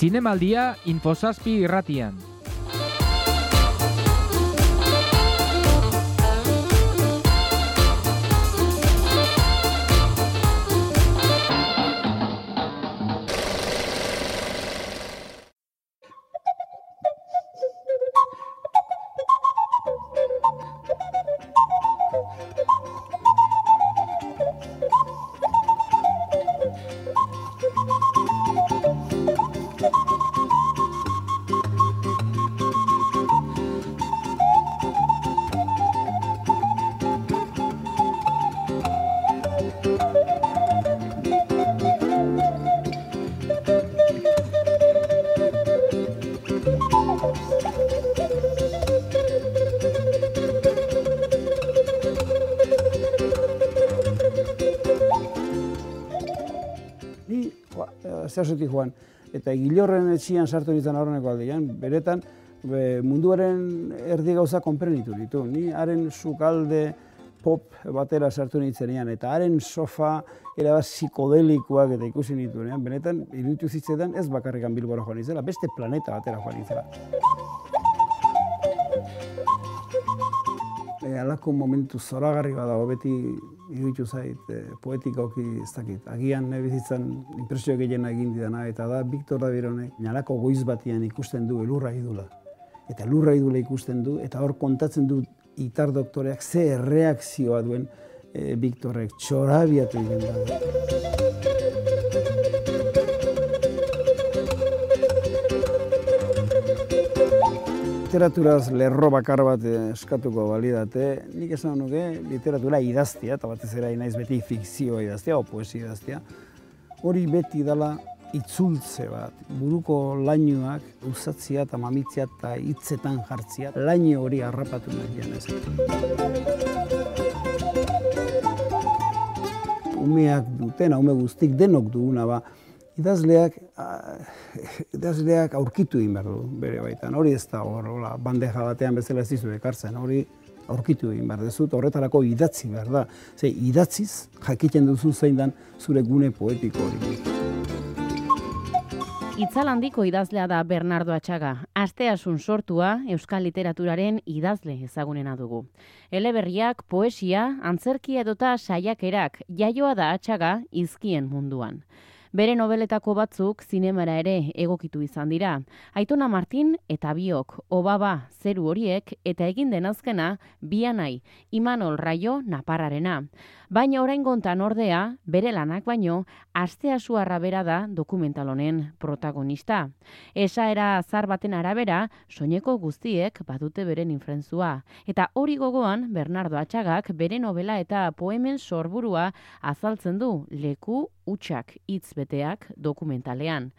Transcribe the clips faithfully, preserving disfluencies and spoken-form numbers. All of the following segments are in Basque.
Zinemaldia Infosazpi irratian. Zerzutik joan, eta Gilorren etxian sartu nintzen aurreneko aldean, beretan be, munduaren erdi gauza konprenitu ditu. Ni haren sukalde pop batera sartu nintzenean, eta haren sofa erabat psikodelikoak eta ikusi nituenean, benetan iruditu zitzetan ez bakarrikan Bilbora joan nintzela, beste planeta batera joan nintzela. E, alako momentu zoragarri badago, beti iruditu zait e, poetikoki ez dakit. Agian bizitzan inpresio gehiena egin didana, eta da Victor Davironek nalako goiz batian ikusten du elurra idula. Eta elurra idula ikusten du, eta hor kontatzen du itar doktoreak ze erreakzioa duen e, Victorrek txorabiatu egin da. Literaturaz lerro bakar bat eskatuko balidate, nik esan nuke literatura idaztia, eta batez ere naiz beti fikzioa idaztia, o poesia idaztia, hori beti dela itzultze bat, buruko lainuak usatzia eta mamitzia eta hitzetan jartzia, laino hori harrapatu nahian ez. Umeak dutena, ume guztik denok duguna ba, idazleak, idazleak aurkitu egin behar du bere baitan. Hori ez da hor, bandeja batean bezala ez dizu ekartzen, hori aurkitu egin behar dezut, horretarako idatzi behar da. Ze, idatziz jakiten duzu zein dan zure gune poetiko hori. Itzal handiko idazlea da Bernardo Atxaga. Asteasun sortua euskal literaturaren idazle ezagunena dugu. Eleberriak, poesia, antzerkia edota saiakerak jaioa da Atxaga hizkien munduan. Bere nobeletako batzuk zinemara ere egokitu izan dira. Aitona Martin eta biok, Obaba, Zeru horiek eta egin den azkena Bianai, Imanol Raio Naparrarena. Baina oraingontan ordea, bere lanak baino, Asteasuarra bera da dokumental honen protagonista. Esaera azar baten arabera, soineko guztiek badute beren infrentzua. Eta hori gogoan, Bernardo Atxagak bere novela eta poemen sorburua azaltzen du leku hutsak hitz beteak dokumentalean.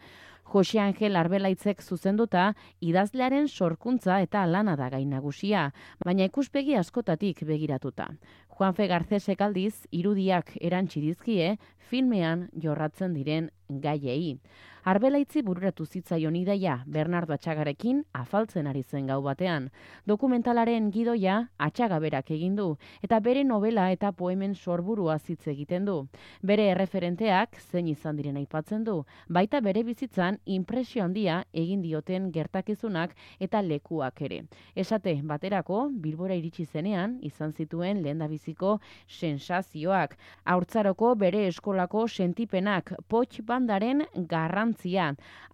Jose Angel Arbelaitzek zuzenduta idazlearen sorkuntza eta lana da gai nagusia, baina ikuspegi askotatik begiratuta. Juanfe Garcesek aldiz irudiak erantsi dizkie filmean jorratzen diren gaiei. Arbelaitzi bururatu zitzaion ideia Bernardo Atxagarekin afaltzen ari zen gau batean. Dokumentalaren gidoia Atxaga berak egin du eta bere novela eta poemen sorburua hitz egiten du. Bere erreferenteak zein izan diren aipatzen du, baita bere bizitzan inpresio handia egin dioten gertakizunak eta lekuak ere. Esate baterako Bilbora iritsi zenean izan zituen lehendabiziko sensazioak, haurtzaroko bere eskolako sentipenak, potx bandaren garrantzia.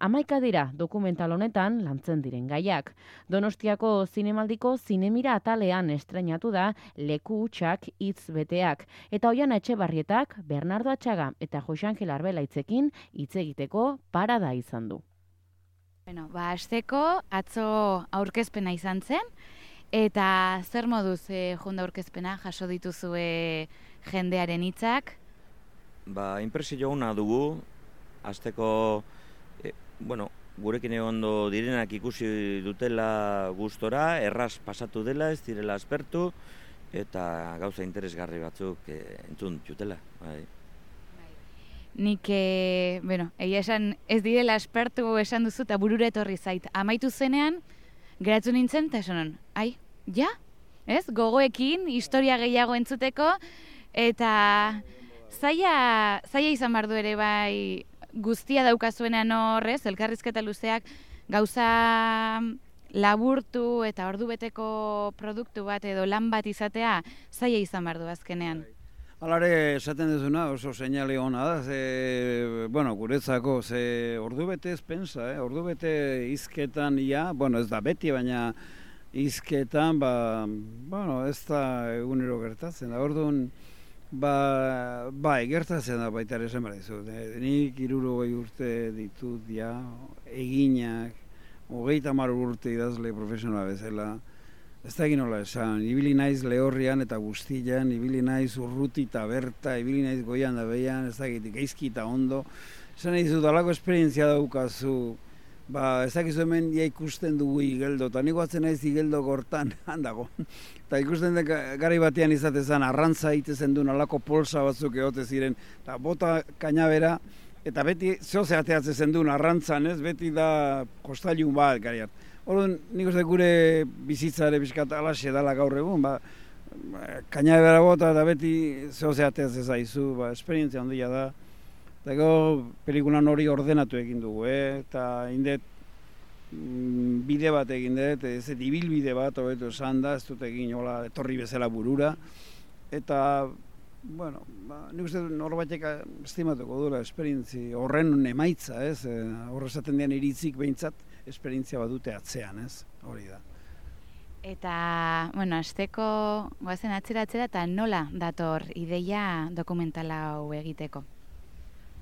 Hamaika dira dokumental honetan lantzen diren gaiak. Donostiako zinemaldiko zinemira atalean estreinatu da leku hutsak hitz beteak. Eta Oiana Etxebarrietak, Bernardo Atxaga eta Jose Angel Arbelaitzekin hitz egiteko parada izan du. Bueno, ba, hasteko atzo aurkezpena izan zen, eta zer moduz eh, jonda aurkezpena jaso dituzue jendearen hitzak? Ba, inpresio ona dugu, hasteko, e, bueno, gurekin egondo direnak ikusi dutela gustora, erraz pasatu dela, ez direla aspertu, eta gauza interesgarri batzuk e, entzun jutela. Bai. Nik, e, bueno, egia esan ez direla aspertu esan duzu eta burura etorri zait. Amaitu zenean, geratu nintzen, eta esanon, ai, ja? Ez? Gogoekin, historia gehiago entzuteko, eta zaila, zaila izan behar du ere bai, guztia daukazuenean horrez, elkarrizketa luzeak, gauza laburtu eta ordubeteko produktu bat edo lan bat izatea, zaila izan behar du azkenean. Alare, esaten duzuna oso seinale hona da, ze, bueno, guretzako, ze ordubete ez pensa, eh? Ordubete izketan, ja, bueno, ez da beti, baina izketan, ba, bueno, ez da egunero gertatzen da, orduan, ba, bai, gertatzen da baita ere esan behar dizut. Nik hirurogei urte ditut, ja, eginak, hogeita hamar urte idazle profesionala bezala, ez da egin nola esan, ibili naiz lehorrian eta guztian, ibili naiz urruti eta berta, ibili naiz goian da behian, ez da egin gaizki eta ondo, esan nahi dut, alako esperientzia daukazu, ba, ez dakizu hemen ja ikusten dugu igeldo, eta nik batzen naiz igeldo gortan, handago. Eta ikusten dek garai batean izatezan, arrantza egitezen duen alako polsa batzuk egote ziren, eta bota kainabera, eta beti zoze ateatzen zen duen arrantzan, ez? Beti da kostailun bat garian. Orduan, nik uste gure bizitzare bizkat alaxe dala gaur egun, ba, kainabera bota eta beti zoze ateatzen zaizu, ba, esperientzia handia da. Eta gero, pelikulan hori ordenatu egin dugu, eh? Eta indet mm, bide bat egin dut, ez dut ibilbide bat, hobeto esan da, ez dut egin hola etorri bezala burura. Eta, bueno, ba, nik uste norbaitek estimatuko duela esperientzi horren emaitza, ez? Horre esaten dian iritzik behintzat, esperientzia bat dute atzean, ez? Hori da. Eta, bueno, azteko goazen atzera-atzera eta nola dator ideia dokumentala hau egiteko?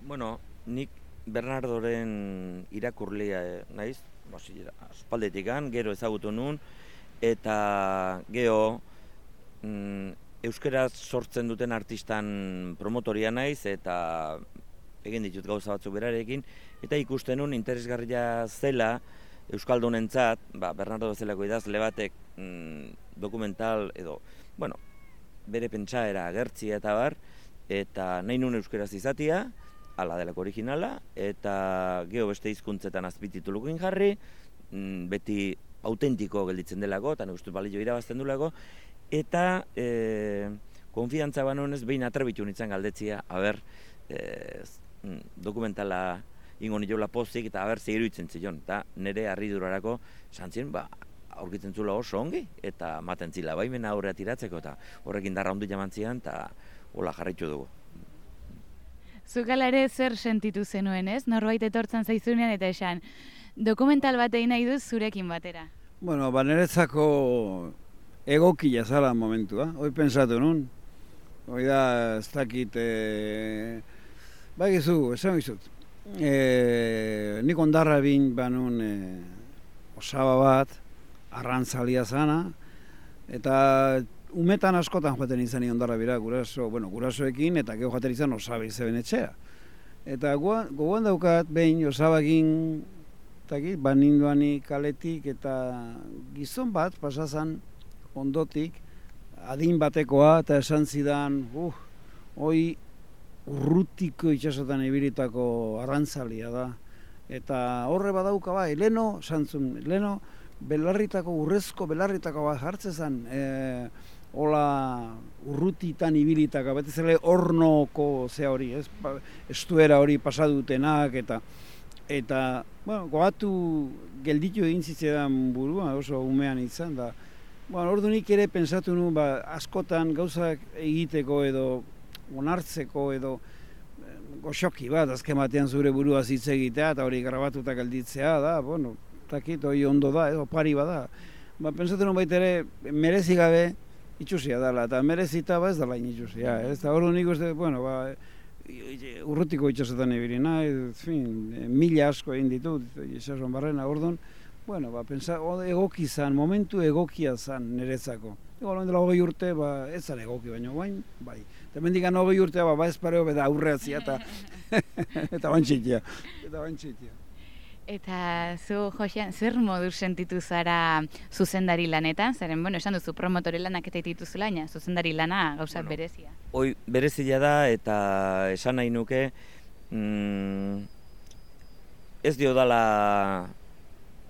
Bueno, nik Bernardoren irakurlea naiz, aspaldetikan, gero ezagutu nun, eta gero mm, euskaraz sortzen duten artistan promotoria naiz, eta egin ditut gauza batzuk berarekin, eta ikusten nun interesgarria zela euskaldunentzat, ba, Bernardo bezalako idazle batek mm, dokumental edo, bueno, bere pentsaera agertzia eta bar, eta nahi nun euskaraz izatia, ala delako originala, eta geho beste hizkuntzetan azpititulukin jarri, beti autentiko gelditzen delako, eta nik uste balio irabazten dulako, eta e, konfiantza banonez behin atrebitu nintzen galdetzia, haber, e, dokumentala ingo niola pozik, eta haber zehiruitzen zion, eta nire harridurarako santzien, ba, aurkitzen zula oso ongi, eta maten zila baimena aurrea tiratzeko, eta horrekin darra ondu jaman zian, eta hola jarraitu dugu. Zukala ere zer sentitu zenuen, ez? Norbait etortzen zaizunean eta esan, dokumental bat egin nahi duz zurekin batera. Bueno, ba, niretzako egokia zala momentua, hoi pensatu nun. Hoi da, ez dakit, e... ba egizu, esan gizut. E... Nik ondarra bin banun e... osaba bat, arrantzalia zana, eta umetan askotan joaten izan ondarra bira, guraso, bueno, gurasoekin, eta geho joaten izan osaba izeben etxea. Eta gogoan daukat, behin osabakin, baninduani kaletik, eta gizon bat, pasazan ondotik, adin batekoa, eta esan zidan, uh, hoi urrutiko itxasotan ibilitako arrantzalia da. Eta horre badauka bai, leno, santzun, leno, belarritako, urrezko belarritako bat jartzezan, e, hola urrutitan ibilitaka, beti zele hornoko ze hori, ez? Estuera hori pasadutenak, eta, eta bueno, goatu gelditu egin zitzean burua, oso umean izan, da, bueno, ordu nik ere pensatu nu, ba, askotan gauzak egiteko edo onartzeko edo goxoki bat, azken batean zure burua hitz egitea, eta hori grabatuta gelditzea da, bueno, takit, hori ondo da, edo pari bada. Ba, pensatu nu baita ere, merezi gabe, itxusia dela, eta merezita ba ez dela itxusia, ez da hori nik uste, bueno, ba, urrutiko itxasotan ibili nahi, fin, mila asko egin ditut, itxasoan barrena, orduan, bueno, ba, pensa, egoki zan, momentu egokia zan niretzako. Ego, loen dela hogei urte, ba, ez zan egoki, baina guain, bai. Eta mendikan hogei urtea, ba, ba ez pareo, beda aurreatzia, eta eta bantxitia, eta bantxitia. Eta zu, Josean, zer moduz sentitu zara zuzendari lanetan? Zeren, bueno, esan duzu promotore lanak eta dituzula, baina zuzendari lana gauza bueno, berezia. Hoi, berezia da, eta esan nahi nuke, mm, ez dio dala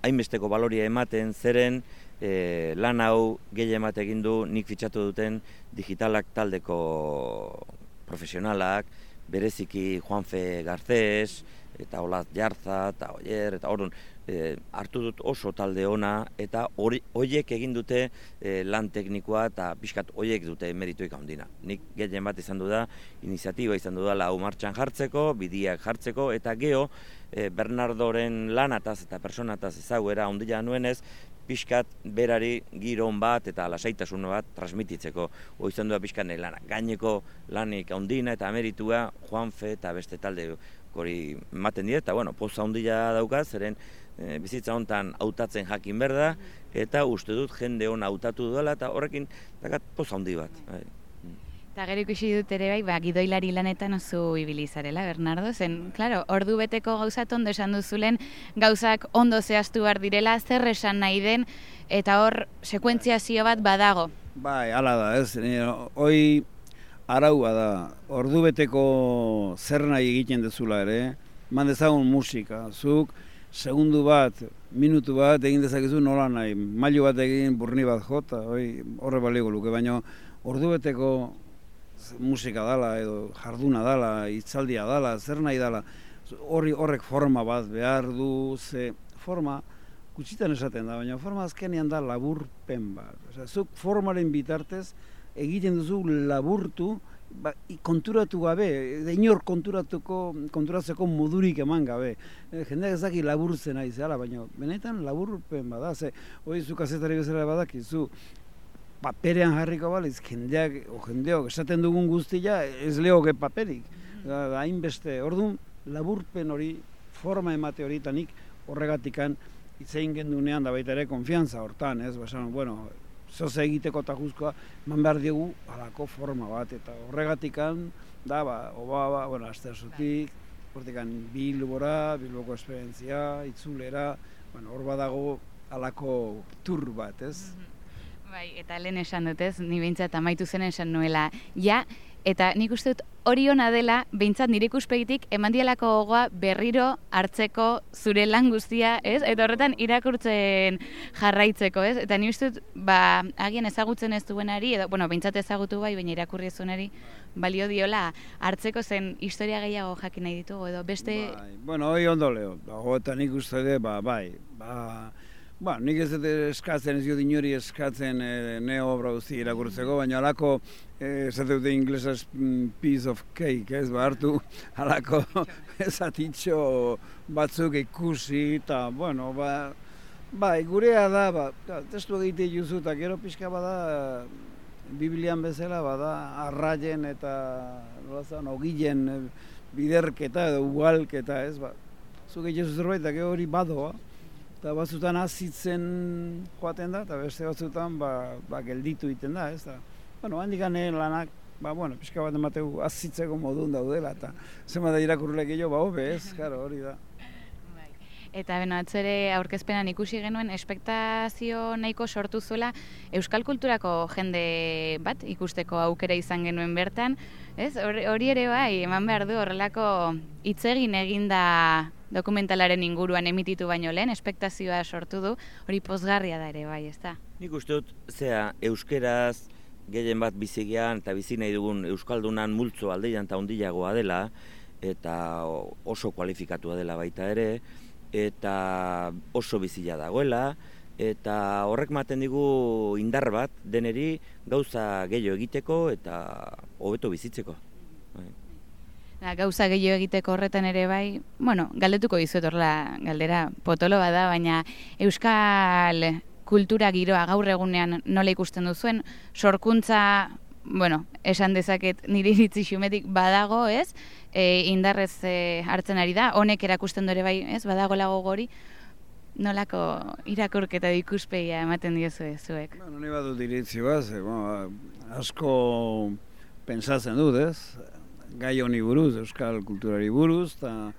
hainbesteko baloria ematen, zeren e, lan hau gehien bat egin du nik fitxatu duten digitalak taldeko profesionalak, bereziki Juanfe Garcés, eta Olat Jarza, eta Oier, eta orduan, e, hartu dut oso talde ona, eta horiek egin dute e, lan teknikoa, eta pixkat horiek dute merituik handina. Nik gehien bat izan du da, iniziatiba izan du da lau martxan jartzeko, bidiak jartzeko, eta geho, e, Bernardoren lanataz eta personataz ezaguera handia nuenez, pixkat berari giron bat eta lasaitasun bat transmititzeko. Hoi izan du da pixkat nahi lana. Gaineko lanik handina eta meritua Juanfe eta beste talde hori ematen dira, eta bueno, poza handia daukaz, zeren e, bizitza hontan hautatzen jakin berda, eta uste dut jende hona hautatu duela, eta horrekin dakat poza handi bat. Bai. Eta gero ikusi dut ere bai, ba, gidoilari lanetan oso ibili zarela, Bernardo, zen, klaro, ordu beteko gauzat ondo esan duzulen, gauzak ondo zehaztu behar direla, zer esan nahi den, eta hor sekuentziazio bat badago. Bai, hala da, ez, hoi araua da, ordu beteko zer nahi egiten dezula ere, man dezagun musika, zuk segundu bat, minutu bat egin dezakezu nola nahi, mailu bat egin burni bat jota, horre balego luke, baina ordu beteko musika dala edo jarduna dala, hitzaldia dala, zer nahi dala, horri horrek forma bat behar du, ze forma gutxitan esaten da, baina forma azkenean da laburpen bat. Osea, zuk formaren bitartez egiten duzu laburtu, ba, konturatu gabe, inor konturatuko, konturatzeko modurik eman gabe. E, jendeak ez daki laburtzen ari zela, baina benetan laburpen bada, ze hori zu kazetari bezala badakizu, paperean jarriko baliz, jendeak, o jendeok esaten dugun guztia, ez lehoke paperik. Hainbeste, orduan, laburpen hori, forma emate hori, eta nik horregatikan itzein gendunean da baita ere konfiantza hortan, ez? Basan, bueno, zoze egiteko eta guzkoa, man behar diegu halako forma bat, eta horregatikan, da, ba, oba, ba, bueno, asterzutik, hortikan Bilbora, Bilboko esperientzia, itzulera, bueno, hor badago halako tur bat, ez? Bai, eta lehen esan dut ez, ni behintzat amaitu zen esan nuela, ja, eta nik uste dut hori ona dela, behintzat nire ikuspegitik eman dialako gogoa berriro hartzeko zure lan guztia, ez? Eta horretan irakurtzen jarraitzeko, ez? Eta ni uste dut, ba, agian ezagutzen ez duenari, edo, bueno, behintzat ezagutu bai, baina irakurri ez duenari, balio diola hartzeko zen historia gehiago jakin nahi ditugu, edo beste... Bai, bueno, hori ondo leo, eta nik uste dut, ba, bai, ba... Ba, nik ez dut eskatzen, ez dut inori eskatzen e, ne obra guzti irakurtzeko, baina halako, ez dut inglesaz piece of cake, ez, ba, hartu halako ezatitxo batzuk ikusi, eta, bueno, ba, ba, gurea da, ba, testu egite juzu, eta gero pixka bada, Biblian bezala, bada, arraien eta, nolazan, ogilen biderketa edo ugalketa, ez, ba, zuk egite zerbait, eta gero hori badoa, eta batzutan azitzen joaten da, eta beste batzutan ba, ba, gelditu egiten da, ez da. Bueno, handik gane lanak, ba, bueno, pixka bat emateu azitzeko modun daudela, eta zenbat da irakurrelek gehiago, ba, hobe, ez, karo, hori da. Eta beno, atzere aurkezpenan ikusi genuen, espektazio nahiko sortu zuela euskal kulturako jende bat ikusteko aukera izan genuen bertan, ez? Hori ere bai, eman behar du horrelako hitz egin eginda dokumentalaren inguruan emititu baino lehen, espektazioa sortu du, hori pozgarria da ere bai, ez da? Nik uste dut, zea, euskeraz gehien bat bizigian eta bizi nahi dugun euskaldunan multzo aldeian eta ondilagoa dela, eta oso kualifikatua dela baita ere, eta oso bizila dagoela, eta horrek maten digu indar bat deneri gauza gehiago egiteko eta hobeto bizitzeko. Da, gauza gehiago egiteko horretan ere bai, bueno, galdetuko dizuet horrela galdera potolo bada, baina euskal kultura giroa gaur egunean nola ikusten duzuen, sorkuntza, bueno, esan dezaket nire iritzi xumetik badago, ez? E, indarrez e, hartzen ari da, honek erakusten dure bai, ez? Badago lago gori, nolako irakurketa ikuspegia ematen diozue zuek? Bueno, ni badut iritzi bat, bueno, asko pentsatzen dut, ez? Gai honi buruz, euskal kulturari buruz, eta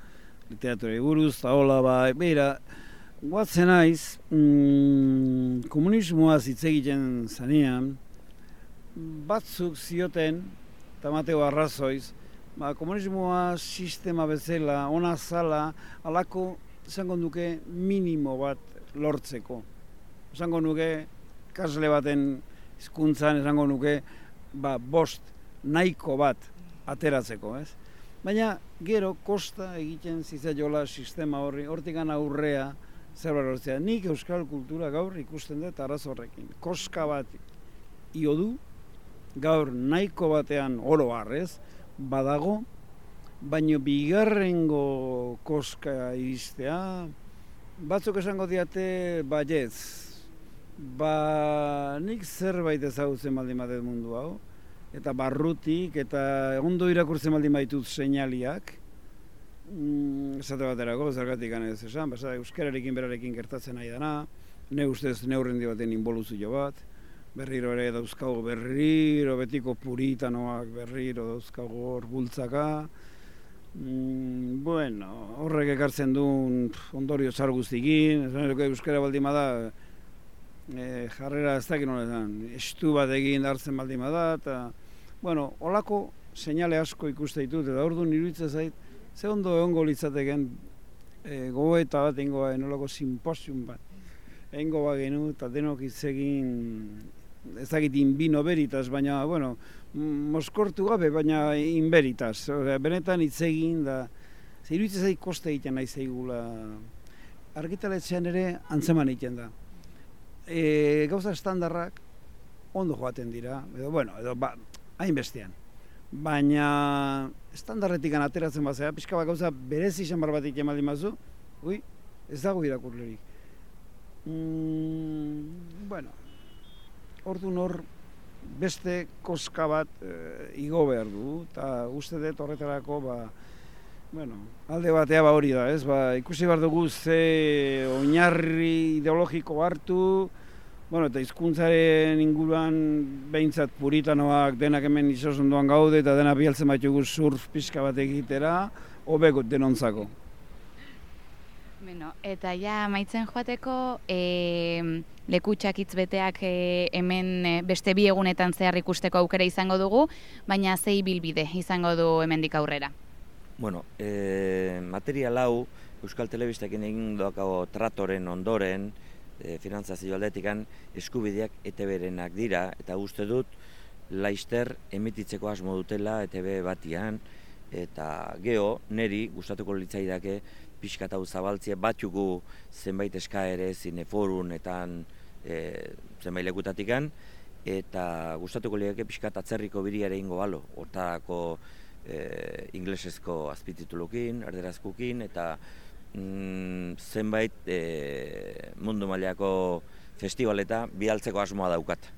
literaturari buruz, eta hola, ba, beira, guatzen naiz, mm, komunismoaz hitz egiten zanean, batzuk zioten, eta mateo arrazoiz, ba, komunismoa sistema bezala, ona zala, alako, esango nuke, minimo bat lortzeko. Esango nuke, kasle baten hizkuntzan esango nuke, ba, bost nahiko bat ateratzeko, ez? Baina gero kosta egiten zitzaiola sistema horri, hortikan aurrea zerbait lortzea. Nik euskal kultura gaur ikusten dut arazo horrekin. Koska bat io du, gaur nahiko batean oro harrez, badago, baino bigarrengo koska iristea, batzuk esango diate baietz. Ba, nik zerbait ezagutzen baldin badet mundu hau, eta barrutik, eta ondo irakurtzen baldin baitut seinaliak, mm, esate baterako, zergatik ganez esan, basa, euskararekin berarekin gertatzen nahi dana, ne ustez neurrendi baten inboluzio bat, berriro ere dauzkago berriro, betiko puritanoak berriro dauzkago hor bultzaka, mm, bueno, horrek ekartzen duen ondorio txar guztikin, euskara baldin bada, E, jarrera ez dakit nola esan, estu bat egin hartzen baldin bada, eta, bueno, holako seinale asko ikuste ditut, eta orduan iruditzen zait, ze ondo egongo litzateken e, gogoeta bat egingo ba, nolako simposium bat. Egingo ba genu, eta denok hitz egin, ez dakit inbino beritas, baina, bueno, moskortu gabe, baina inberitas. Osea, benetan hitz egin, da, ze iruditzen zait koste egiten nahi zeigula. Argitaletxean ere antzeman egiten da. E, gauza estandarrak ondo joaten dira, edo, bueno, edo, ba, hainbestean. Baina, estandarretik ateratzen bazea, pixka bat gauza berezi izan bat egiten baldin bazu, ui, ez dago irakurlerik. Mm, bueno, orduan hor beste koska bat e, igo behar du, eta uste dut horretarako, ba, bueno, alde batea ba hori da, ez? Ba, ikusi behar dugu ze oinarri ideologiko hartu, bueno, eta hizkuntzaren inguruan behintzat puritanoak denak hemen itsasundoan gaude eta dena bialtzen baitugu surf pixka bat egitera, hobeko denontzako. Bueno, eta ja amaitzen joateko, e, lekutxak hitzbeteak e, hemen e, beste bi egunetan zehar ikusteko aukera izango dugu, baina zei bilbide izango du hemendik aurrera. Bueno, e, material hau Euskal Telebistekin egin doakago tratoren ondoren, e, finantzazio aldetikan, eskubideak E T B-renak dira, eta uste dut laister emititzeko asmo dutela E T B batian, eta geho, neri gustatuko litzaidake pixkat hau zabaltzea batxugu zenbait eskaere zineforunetan e, zenbait lekutatikan, eta gustatuko liake pixkat atzerriko biriare ingo balo, hortarako E, inglesezko azpititulukin, erderazkukin, eta mm, zenbait e, mundu mailako festivaleta bialtzeko asmoa daukat.